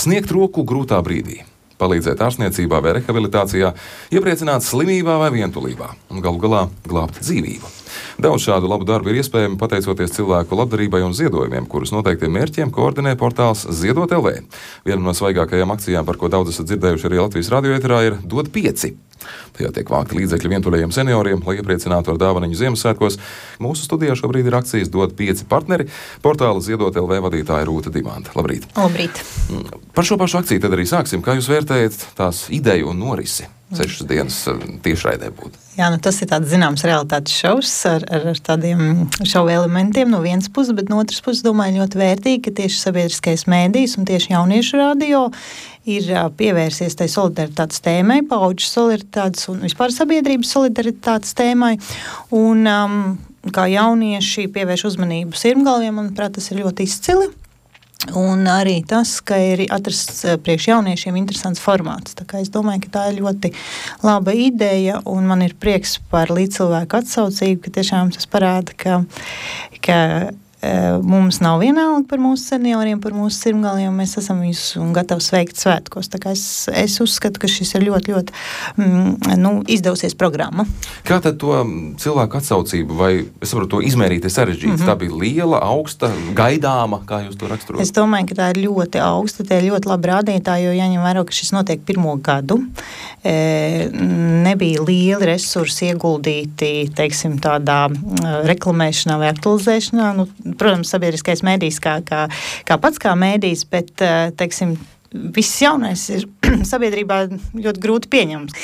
Sniegt roku grūtā brīdī, palīdzēt ārstniecībā vai rehabilitācijā, iepriecināt slimībā vai vientulībā un galu galā glābt dzīvību. Daudz šādu labu darbu ir iespējami pateicoties cilvēku labdarībai un ziedojumiem, kurus noteiktiem mērķiem koordinē portāls Ziedot LV. Viena no svaigākajām akcijām, par ko daudz esat dzirdējuši arī Latvijas radio ēterā, ir Dod 5. Tajā tiek vākti līdzekļi vientuļajiem senioriem, lai iepriecinātu ar dāvaniņu Ziemassvētkos. Mūsu studijā šobrīd ir akcijas Dod 5 partneri, portāla Ziedot LV vadītāja Rūta Dimanta. Labrīt! Labrīt! Par šo pašu akciju tad arī sāksim. Kā jūs vērtējat tās ideju un norisi? 6 dienas tiešraidē būtu. Jā, tas ir tāds zināms realitātes šovs ar tādiem šovu elementiem no vienas puses, bet no otras puses domāju ļoti vērtīgi, ka tieši sabiedriskais mēdījis un tieši jauniešu radio ir pievērsies tai solidaritātes tēmai, paudžu solidaritātes un vispār sabiedrības solidaritātes tēmai. Un kā jaunieši pievērš uzmanību sirmgalviem, manuprāt, tas ir ļoti izcili. Un arī tas, ka ir atrasts priekš jauniešiem interesants formāts. Tā kā es domāju, ka tā ir ļoti laba ideja, un man ir prieks par līdzcilvēku atsaucību, ka tiešām tas parāda, ka mums nav vienalga par mūsu senioriem, par mūsu sirmgaliem, mēs esam viņus gatavi sveikt svētkos. Tā kā es uzskatu, ka šis ir ļoti, ļoti izdevusies programma. Kā tad to cilvēku atsaucību, vai es varu to izmērīt, ir sarežģīts? Tā bija liela, augsta, gaidāma, kā jūs to raksturot? Es domāju, ka tā ir ļoti augsta, tie ir ļoti labi rādītāji, jo jāņem vērā, ka šis notiek 1. gadu. Nebija lieli resursi ieguldīti, teiksim, tādā reklamēšanā vai aktualizēšanā. Protams, sabiedriskais mēdījis kā pats kā mēdījis, bet, teiksim, viss jaunais ir sabiedrībā ļoti grūti pieņems.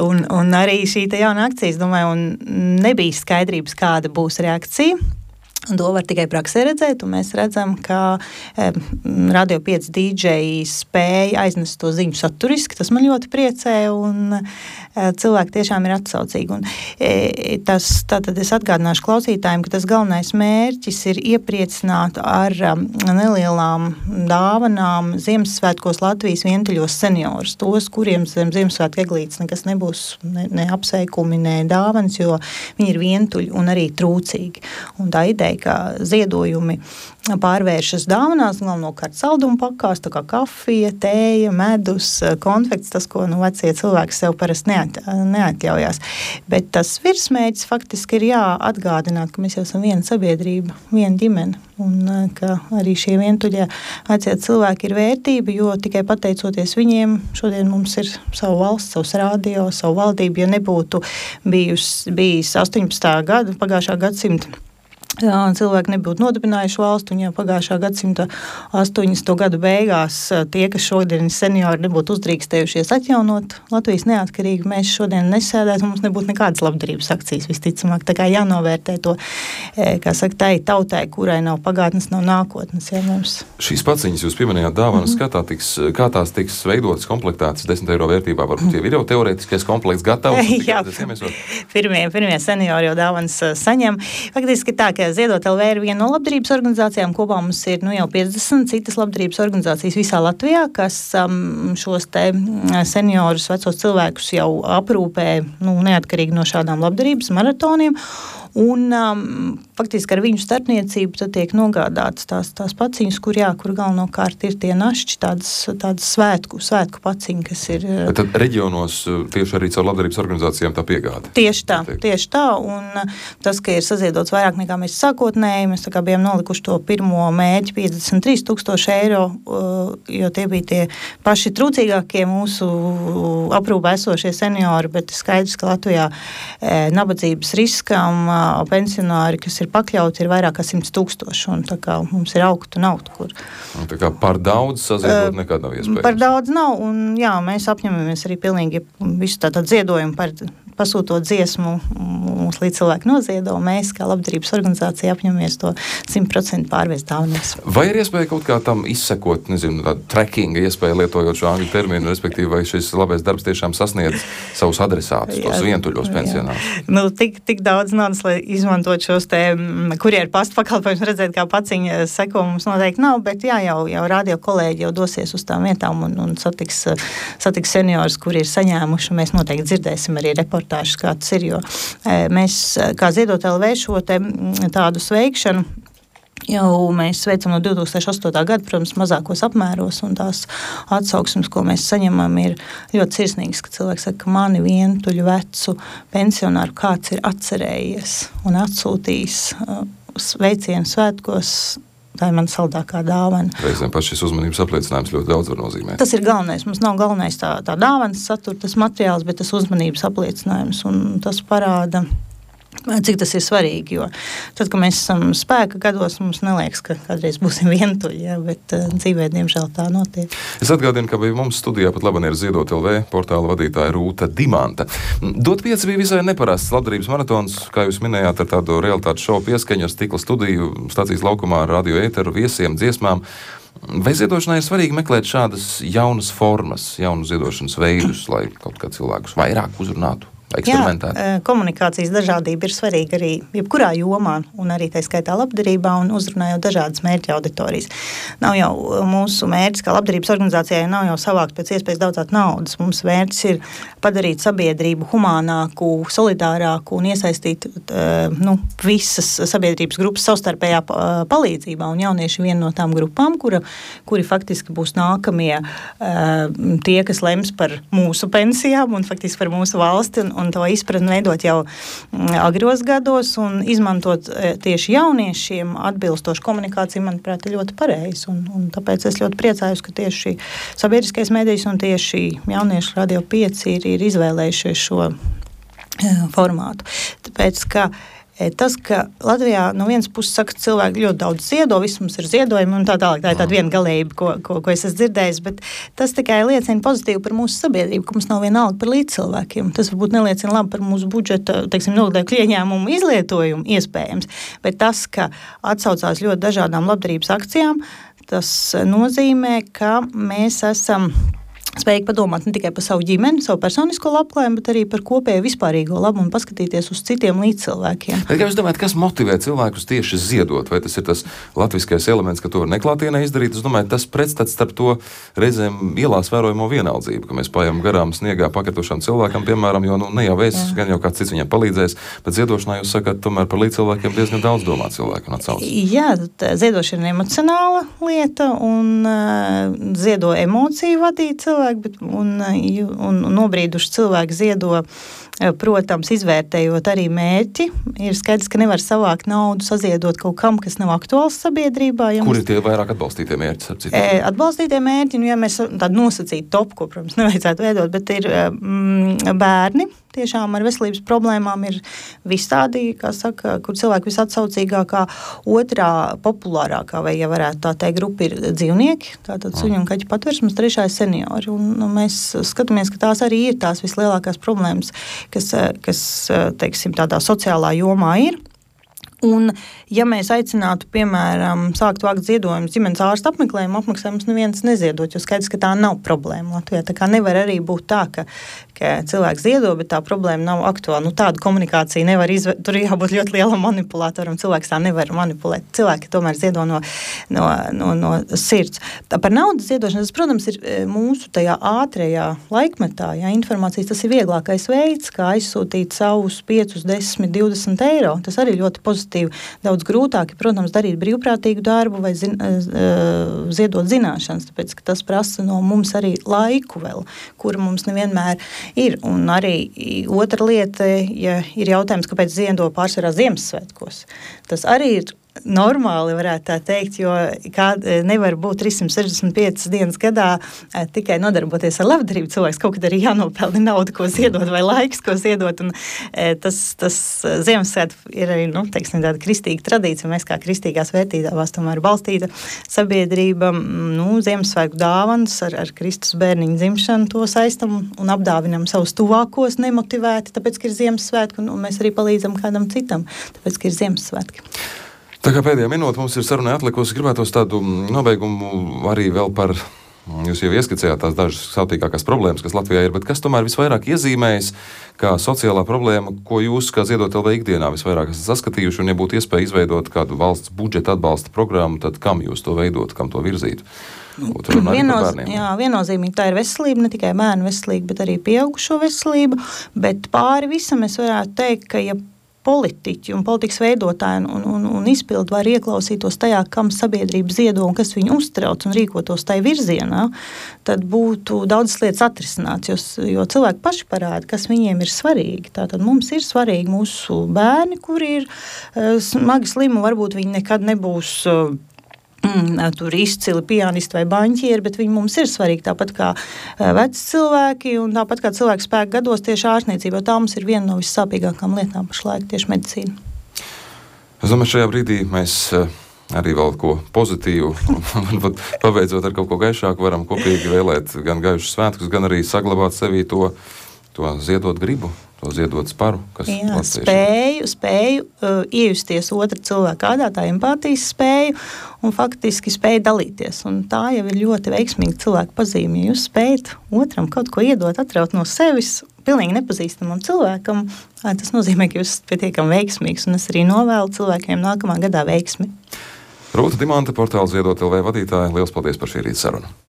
Un arī šī jauna akcija, es domāju, un nebija skaidrības, kāda būs reakcija. Un to var tikai praksē redzēt, un mēs redzam, ka Radio 5 DJi spēja aiznest to ziņu saturiski. Tas man ļoti priecē, un cilvēki tiešām ir atsaucīgi. Un tātad es atgādināšu klausītājiem, ka tas galvenais mērķis ir iepriecināt ar nelielām dāvanām Ziemassvētkos Latvijas vientuļos seniorus. Tos, kuriem zem Ziemassvētku eglītes nekas nebūs, ne apsveikumi, ne dāvanas, jo viņi ir vientuļi un arī trūcīgi. Un tā ideja, ka ziedojumi pārvēršas dāvanās, galvenokārt saldumu pakās, tā kā kafija, tēja, medus, konfekts, tas, ko vecie cilvēki sev parasti neatļaujās. Bet tas virsmērķis faktiski ir atgādināt, ka mēs jau esam viena sabiedrība, viena ģimene, un ka arī šie vientuļie vecie cilvēki ir vērtība, jo tikai pateicoties viņiem, šodien mums ir savu valsts, savs radio, savu valdību, ja nebūtu bijis 18. gada, pagājušā gadsimta, cilvēki nebūtu nodibinājuši valstu, un jau pagājušā gadsimta 80. gadu beigās tie, kas šodien seniori nebūtu uzdrīkstējušies atjaunot Latvijas neatkarību, mēs šodien nesēdētu, mums nebūtu nekādas labdarības akcijas visticamāk. Tā kā jānovērtē to, kā saka, tai tautai, kurai nav pagātnes, nav nākotnes. Jā, mums. Šīs paciņas jūs pieminējāt dāvanas, kā tās tiks veidotas, komplektētas 10 eiro vērtībā, varbūt jau ir jau teorētiskais komplekts gatavs? Jā, pirmie seniori jau dāvanas saņem. Faktiski tā, ka Ziedot LV ir viena no labdarības organizācijām. Kopā mums ir jau 50 citas labdarības organizācijas visā Latvijā, kas šos te seniorus, vecos cilvēkus jau aprūpē neatkarīgi no šādām labdarības maratoniem. Un faktiski ar viņu starpniecību tad tiek nogādātas tās paciņas, kur galvenokārt ir tie našķi, tādas svētku paciņi, kas ir. Bet tad reģionos tieši arī caur labdarības organizācijām tā piegāde? Tieši tā, un tas, ka ir saziedots vairāk nekā mēs sākotnēji, mēs tā kā bijām nolikuši to pirmo mērķi 53,000 eiro, jo tie bija tie paši trūcīgākie mūsu aprūpē esošie seniori, bet skaidrs, ka Latvijā nabadzības riskam pensionāri, kas ir pakļauti, ir vairāk kā 100,000, un tā kā mums ir augt un augt, kur. Un tā kā par daudz saziedot nekad nav iespējams. Par daudz nav, un mēs apņemamies arī pilnīgi visu tātad ziedojumu par pasūtot dziesmu, mums līdz cilvēki noziedo, mēs kā labdarības organizācija apņemamies to 100% pārvest dāvanās. Vai ir iespēja kaut kā tam izsekot, tādu trackinga iespēju lietojot šo angļu terminu, respektīvi, vai šis labais darbs tiešām sasniedz savus adresātus, tos vientuļos pensionārus? Tik daudz naudas, lai izmantot šos te kurjeru pastu pakalpojumus, redzēt, kā paciņa seko, mums noteikti nav, bet jau radio kolēģi jau dosies uz tām vietām un satiks seniorus, kuri ir saņēmuši, un mēs noteikti dzirdēsim arī reportāžas, kā tas ir, jo mēs, kā Ziedot LV, šo tādu sveikšanu jau mēs veicam no 2008. gada, protams, mazākos apmēros, un tās atsauksmes, ko mēs saņemam, ir ļoti sirsnīgas, ka cilvēks saka, ka mani vientuļu vecu pensionāru kāds ir atcerējies un atsūtījis sveicienu svētkos. Tā ir man saldākā dāvana. Reizēm pat šis uzmanības apliecinājums ļoti daudz var nozīmēt. Tas ir galvenais. Mums nav galvenais tā dāvanas satura, tas materiāls, bet tas uzmanības apliecinājums, un tas parāda, cik tas ir svarīgi, jo tad, kad mēs esam spēka gados, mums neliekas, ka kādreiz būsim vientuļi, ja, bet dzīvē, diemžēl, tā notiek. Es atgādinu, ka bija mums studijā pat labi ir Ziedot LV portāla vadītāja Rūta Dimanta. Dot 5 bija visai neparasts labdarības maratons, kā jūs minējāt, ar tādu realitātes šovu pieskaņu, ar stikla studiju, stacijas laukumā, radio ēteru, viesiem, dziesmām. Vai ziedošanai ir svarīgi meklēt šādas jaunas formas, jaunu ziedošanas veidus, lai kaut kā cilvēkus vairāk uzrunātu? Jā, komunikācijas dažādība ir svarīga arī jebkurā jomā, un arī tā skaitā labdarībā, un uzrunājot dažādas mērķa auditorijas. Nav jau mūsu mērķis, kā labdarības organizācijai, nav jau savākt pēc iespējas daudzāk naudas. Mums mērķis ir padarīt sabiedrību humānāku, solidārāku un iesaistīt visas sabiedrības grupas savstarpējā palīdzībā, un jaunieši viena no tām grupām, kuri faktiski būs nākamie tie, kas lems par mūsu pensijām un faktiski par mūsu valsti, un to izpratni veidot jau agros gados un izmantot tieši jauniešiem atbilstošu komunikāciju, manuprāt, ir ļoti pareizi. Un tāpēc es ļoti priecājos, ka tieši sabiedriskais mēdījis un tieši jauniešu Radio 5 ir izvēlējušies šo formātu. Tāpēc, ka tas, ka Latvijā no vienas puses saka, ka cilvēki ļoti daudz ziedo, viss mums ir ziedojumi un tā tālāk. Tā ir tāda viena galējība, ko es esmu dzirdējis, bet tas tikai liecina pozitīvi par mūsu sabiedrību, ka mums nav vienalga par līdzcilvēkiem. Tas varbūt neliecina labi par mūsu budžeta, nodokļu ieņēmumu izlietojumu iespējams, bet tas, ka atsaucās ļoti dažādām labdarības akcijām, tas nozīmē, ka mēs esam spējīgi padomāt ne tikai par savu ģimeni, savu personisko labklājību, bet arī par kopēju vispārīgo labumu un paskatīties uz citiem līdzcilvēkiem. Bet kā jūs domājat, kas motivē cilvēkus tieši ziedot? Vai tas ir tas latviskais elements, ka to var neklātienē izdarīt? Es domāju, tas pretstats starp to reizēm ielās vērojamo vienaldzību, ka mēs pājām garām sniegā pakritušam cilvēkam, piemēram, jo ne jau es, gan jau kāds cits viņam palīdzēs, bet ziedošanā jūs sakat, tomēr par līdzcilvēkiem diezgan daudz domā cilvēku un atsauc. Jā, ziedošana ir emocionāla lieta un ziedo emociju vadīt cilvēku. Un nobrīduši cilvēki ziedo, protams, izvērtējot arī mērķi. Ir skaidrs, ka nevar savākt naudu, saziedot kaut kam, kas nav aktuāls sabiedrībā. Ja Kur ir tie vairāk atbalstītie mērķi? Atbalstītie mērķi, ja mēs tādu nosacītu topu, ko, protams, nevajadzētu veidot, bet ir bērni. Tiešām ar veselības problēmām ir vistādi, kā saka, kur cilvēki visatsaucīgākā, otrā populārākā, vai, ja varētu tā teikt, grupa ir dzīvnieki, tātad suņu un kaķu patversmes, trešā ir seniori. Un mēs skatāmies, ka tās arī ir tās vislielākās problēmas, kas teiksim, tādā sociālā jomā ir. Un, ja mēs aicinātu, piemēram, sākt vākt ziedojumus ģimenes ārsta apmeklējumus neviens neziedot, jo skaidrs, ka tā nav problēma Latvijā. Tā kā nevar arī būt tā, ka cilvēks ziedo, bet tā problēma nav aktuāla. Tādu komunikāciju nevar tur jābūt ļoti lielam manipulātoram. Cilvēks tā nevar manipulēt. Cilvēki tomēr ziedo no sirds. Tā par naudas ziedošanu, tas, protams, ir mūsu tajā ātrajā laikmetā. Ja, informācijas, tas ir vieglākais veids, kā aizsūtīt savus 5, 10, 20 eiro. Tas arī ļoti pozitīvi. Daudz grūtāk, protams, darīt brīvprātīgu darbu vai ziedot zināšanas, tāpēc, ka tas prasa no mums arī laiku vēl, kura mums nevienmēr ir. Un arī otra lieta, ja ir jautājums, kāpēc ziedo pārsvarā Ziemassvētkos. Tas arī ir normāli, varētu tā teikt, jo nevar būt 365 dienas gadā tikai nodarboties ar labdarību. Cilvēks kaut kad arī jānopelna naudu, ko ziedot, vai laiks, ko ziedot. Un tas Ziemassvētku ir arī, tāda kristīga tradīcija. Mēs kā kristīgās vērtībās tomēr balstīta sabiedrība, Ziemassvētku dāvanas ar Kristus bērniņu dzimšanu to saistam un apdāvinam savus tuvākos nemotivēti, tāpēc, ka ir Ziemassvētku, un mēs arī palīdzam kādam citam, tāpēc, ka ir Ziemassvētki. Tā kā pēdējā minūte mums ir sarunai atlikusi, gribētos tādu nobeigumu arī vēl par, jūs jau ieskicējāt tās dažas sautīgākās problēmas, kas Latvijā ir, bet kas tomēr visvairāk iezīmējas kā sociālā problēma, ko jūs kā Ziedot LV ikdienā visvairāk esat saskatījuši, un ja būtu iespēja izveidot kādu valsts budžeta atbalsta programmu, tad kam jūs to veidot, kam to virzītu? Viennozīmīgi tā ir veselība, ne tikai bērnu veselība, bet arī pieaugušo veselība, bet pāri visam es varētu teikt, ka ja politiķi un politikas veidotāji un izpildu var ieklausītos tajā, kam sabiedrība ziedo un kas viņu uztrauc un rīkotos tai virzienā, tad būtu daudzas lietas atrisināts, jo cilvēki paši parāda, kas viņiem ir svarīgi. Tātad mums ir svarīgi mūsu bērni, kuri ir smagi slimi, varbūt viņi nekad nebūs tur izcili pianisti vai baņķieri, bet viņi mums ir svarīgi tāpat kā veci cilvēki un tāpat kā cilvēku spēku gados tieši ārstniecība, tā mums ir viena no vissāpīgākām lietām pašlaik tieši medicīna. Es domāju, šajā brīdī mēs arī vēl ko pozitīvu, varbūt pabeidzot ar kaut ko gaišāku, varam kopīgi vēlēt gan gaišus svētkus, gan arī saglabāt sevī to ziedot gribu, to ziedot sparu, kas spēju iejusties otra cilvēka ādā, tā empātijas spēju un faktiski spēju dalīties. Un tā jau ir ļoti veiksmīga cilvēka pazīme. Ja jūs spējat otram kaut ko iedot, atraut no sevis, pilnīgi nepazīstamam cilvēkam, tas nozīmē, ka jūs esat pietiekami veiksmīgs, un es arī novēlu cilvēkiem nākamā gadā veiksmi. Rūta Dimanta, portāla Ziedot LV vadītāja, liels paldies par šī rīta sarunu.